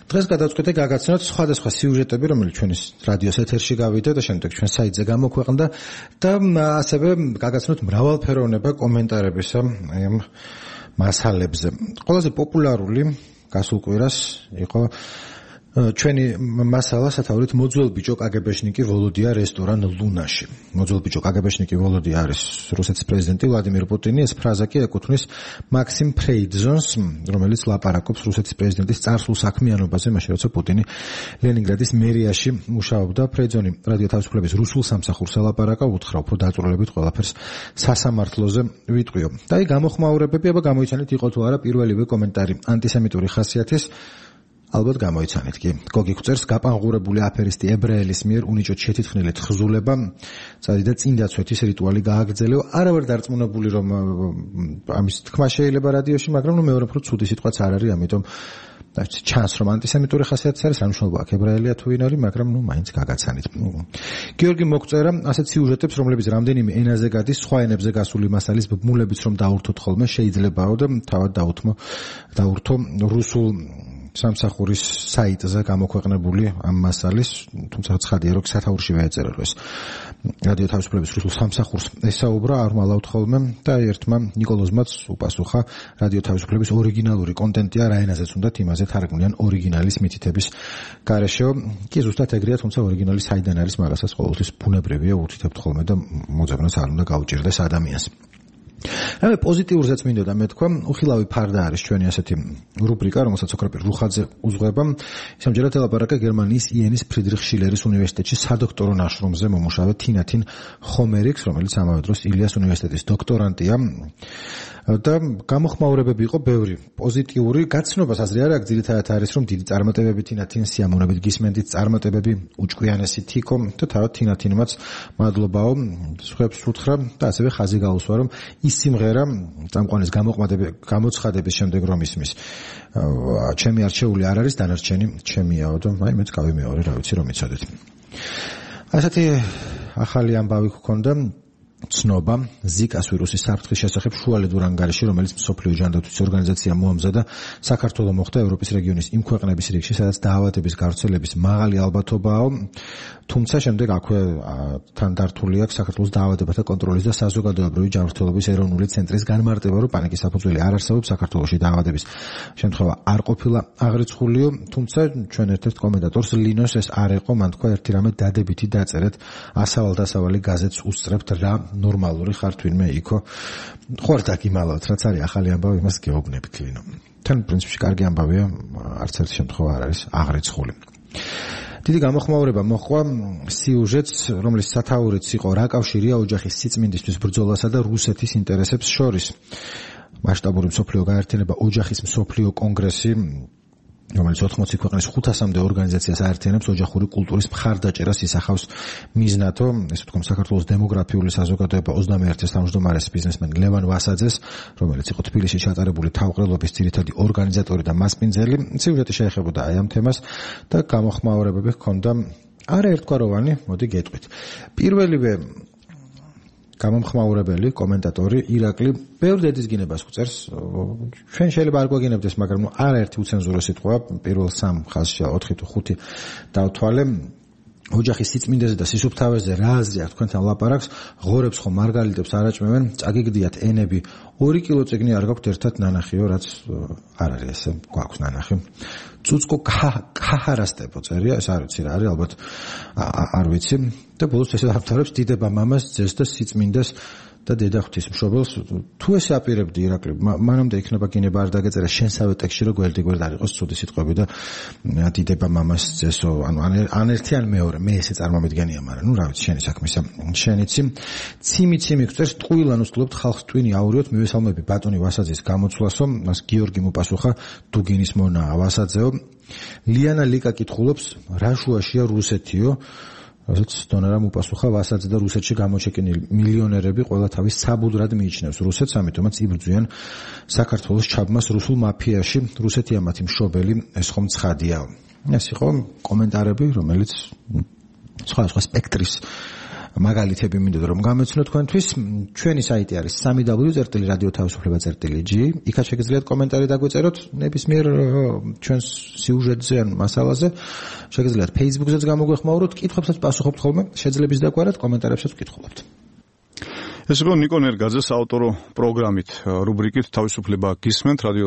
დღეს გადავწყვიტე გაგაცნოთ სხვადასხვა სიუჟეტები, რომელიც ჩვენის რადიოს ეთერში გავიდა და შემდეგ ჩვენ საიტზე გამოქვეყნდა და ასევე გაგაცნოთ მრავალფეროვნება კომენტარებისა ამ მასალებზე. ყველაზე პოპულარული გასულ კვირას იყო ჩვენი მასალა სათაურით მოძველ ბიჭო კგბ-შნიკი ვოლოდია რესტორან ლუნაში. მოძველ ბიჭო კგბ-შნიკი ვოლოდია არის რუსეთის პრეზიდენტი ვლადიმირ პუტინი, ეს ფრაზა კი ეკუთვნის მაქსიმ ფრეიძონს, რომელიც ლაპარაკობს რუსეთის პრეზიდენტის წარსულ საქმიანობაზე, მაშინ როცა პუტინი ლენინგრადის მერიაში მუშაობდა. ფრეიძონი რადიო თავისუფლების რუსულ სამსახურს ელაპარაკა, უთხრა უფრო დაწვრილებით ყველაფერს სასამართლოზე ვიტყვიო. და აი გამოხმაურებები, აბა გამოიცანით იყო თუ არა პირველივე კომენტარი ანტისემიტური ხასიათის. ალბათ გამოიცანით კი. გოგი გვწერს გაპანღურებული აფერისტი ებრაელის მიერ უნიჭოდ შეთითხნილი თხზულება, წადიდა წინდაცვეთის რიტუალი გააგრძელეო. არავარ დარწმუნებული რომ ამის თქმა შეიძლება რადიოში, მაგრამ მეორე უფრო ცუდი სიტყვაც არ არის, ამიტომ ჩანს რომ ანტისემიტური ხასიათის არის, რა მნიშვნელობა აქვს ებრაელია თუ ვინ არის, მაგრამ მაინც გაგაცანით. გიორგი მოგწერა ასეთ სიუჟეტებს, რომლებიც რამდენიმე ენაზე გადის, სხვა ენებზე გასული მასალის ბმულებიც რომ დაურთოთ ხოლმე შეიძლებაო და თავად დაურთო რუსულ სამსახურის საიტზე გამოქვეყნებული ამ მასალის, თუმცა ცხადია რომ სათაურშივე ეწერა ეს რადიო თავისუფლების რუსულ სამსახურს ესაუბრა არ მალავთ ხოლმე და ერთმა ნიკოლოზმაც უპასუხა რადიო თავისუფლების ორიგინალური კონტენტია რა ენაზეც უნდათ იმაზე თარგმნიან ორიგინალის მითითების გარეშე. კი ზუსტად ეგრეა, თუმცა ორიგინალი საიდან არის მაგასაც ყოველთვის ბუნებრივია უთითებთ ხოლმე და მოძებნას არ უნდა გაუჭირდეს ადამიანს. რამე პოზიტიურზეც მინდოდა მე თქვა, უხილავი ფარდა არის ჩვენი ასეთი რუბრიკა, რომელსაც ოქროპირ რუხაძე უძღვება. სამჯერად ელაპარაკა გერმანიის ienis ფრიდრიხ შილერის უნივერსიტეტში სადოქტორო ნაშრომზე მომუშავე თინათინ ხომერიქს, რომელიც ამავე დროს ილიას უნივერსიტეტის დოქტორანტია. და გამოხმაურებები იყო ბევრი. პოზიტიური გაცნობას აზრი არ აქვს, ძირითადად არის რომ დიდი წარმატებები თინათინ სიამოვნებით გისმენდით, წარმატებები უჭკვიანესი თიქო და თავად თინათინმაც მადლობაო, სხვებს უთხრა და ასევე ხაზი გაუსვა რომ ის სიმღერა წამყვანის გამოცხადების შემდეგ რომ ისმის ჩემი არჩეული არ არის, დანარჩენი ჩემიაო და აი მეც გავიმეორე, რა ვიცი რომ იცოდეთ. ასეთი ახალი ამბავი გქონდა ცნობა ზიკას ვირუსის საფრთხის შესახებ შუალედურ ანგარიში, რომელიც მსოფლიო ჯანდაცვის ორგანიზაცია მოამზადა, საქართველოს მოხდა ევროპის რეგიონის იმ ქვეყნების რიგში, სადაც დაავადების გავრცელების მაღალი ალბათობაა, თუმცა შემდეგ აქვე თან დართული აქვს საქართველოს დაავადებათა კონტროლის და საზოგადოებრივი ჯანმრთელობის ეროვნული ცენტრის განმარტება, რომ პანიკის საფუძველი არ არსებობს, საქართველოში დაავადების შემთხვევა არ ყოფილა აღრიცხულიო, თუმცა ჩვენ ერთ-ერთ კომენტატორს ლინოს ეს არ იყო, მან თქვა ერთი რამე დადებითი დაწერეთ, ასავალ-დასავალი გაზეთს უსწრებთ რა ნორმალური ხართ ვინმე იქო. ხوار დაგიმალავთ, რაც არის ახალი ამბავი, იმას გეუბნებით ლინო. თან პრინციპში კარგი ამბავია, არც ერთი შემთხვევა არ არის აღრიცხული. დიდი გამოხმაურება მოჰყვა სიუჟეტს, რომლის სათაურიც იყო რა კავშირია ოჯახის სიწმინდისთვის ბრძოლასა და რუსეთის ინტერესებს შორის. მასშტაბური მსოფლიო გაერთიანება ოჯახის მსოფლიო კონგრესი, რომელიც 80 ქვეყნის 500-მდე ორგანიზაციას აერთიანებს, ოჯახური კულტურის მხარდაჭერას ისახავს მიზნათო, ესე ვთქვათ, საქართველოს დემოგრაფიული საზოგადოება 21-ის თავმჯდომარეს ბიზნესმენ ლევან ვასაძეს, რომელიც იყო თბილისში ჩატარებული თავყრილობის ძირითადი ორგანიზატორი და მასპინძელი, სიუჟეტი შეეხებოდა აი ამ თემას და გამოხმაურებები ჰქონდა არაერთგვაროვანი, მოდი გეტყვით. პირველივე გამომხმაურებელი, კომენტატორი ირაკლი ბევრ დედისგინებას გვწერს. ჩვენ შეიძლება არ გვაგინებდეს, მაგრამ არაერთი უცენზურო სიტყვა პირველ 3 ხაზში 4 თუ 5 დავთვალე. ოჯახის სიწმინდეზე და სისუფთავეზე რა აზრი აქვს თქვენთან ლაპარაკს, ღორებს ხომ მარგალიტებს არაჭმევენ, წაგიგდიათ ენები, 2 კილო წიგნი არ გაქვთ ერთად ნანახიო, რაც არ არის ესე, გვაქვს ნანახი. წუწკო ქაჰარასტებო წერია, ეს არ ვიცი რა არის, ალბათ არ ვიცი. და ბოლოს ესე ავთარებს დიდება მამას, ძეს და სიწმინდეს და დედა ღვთისმშობელს. თუ ესე აპირებდი ირაკლი, მანამდე იქნება გინება არ დაგეწერა შენსავე ტექსტში, რომ გვერდ-გვერდ არ იყოს ცუდი სიტყვები და დიდება მამას, ძესო, ანუ ან ერთი ან მეორე, მე ესე წარმომიდგენია, მაგრამ რა ვიცი, შენი საქმისა, შენიცი. ციმი გვწერს, ტყუილან უსწრებთ ხალხს ტვინი აურიოთ, მივესალმები ბატონი ვასაძის გამოცვლასო, მას გიორგი მოპასუხა, დუგინის მონაა ვასაძეო. ლიანა ლიკა კითხულობს, რა შუაშია რუსეთიო? რასაც დონარამ უპასუხა ვასაძე და რუსეთში გამოჩეკინილი მილიონერები ყველა თავის საბუდრად მიიჩნევს რუსეთს, ამიტომაც იბრძვიან საქართველოს ჩაბმას რუსულ მაფიაში, რუსეთია მათი მშობელი, ეს ხომ ცხადია. ეს იყო კომენტარები, რომელიც სხვა სპექტრის მაგალითები მინდოდა რომ გამეცნო თქვენთვის. ჩვენი საიტი არის www.radioთავისუფლება.gi. იქაც შეგიძლიათ კომენტარი დაგვეწეროთ ნებისმიერ ჩვენს სიუჟეტზე ან მასალაზე. შეგიძლიათ Facebook-ზეც გამოგვეხმაუროთ, კითხვებსაც პასუხობთ ხოლმე, შეძლების დაგვარად კომენტარებსაც ვკითხულობთ. ეს იყო ნიკო ნერგაძე საავტორო პროგრამით, რუბრიკით თავისუფლება გისმენთ რადიო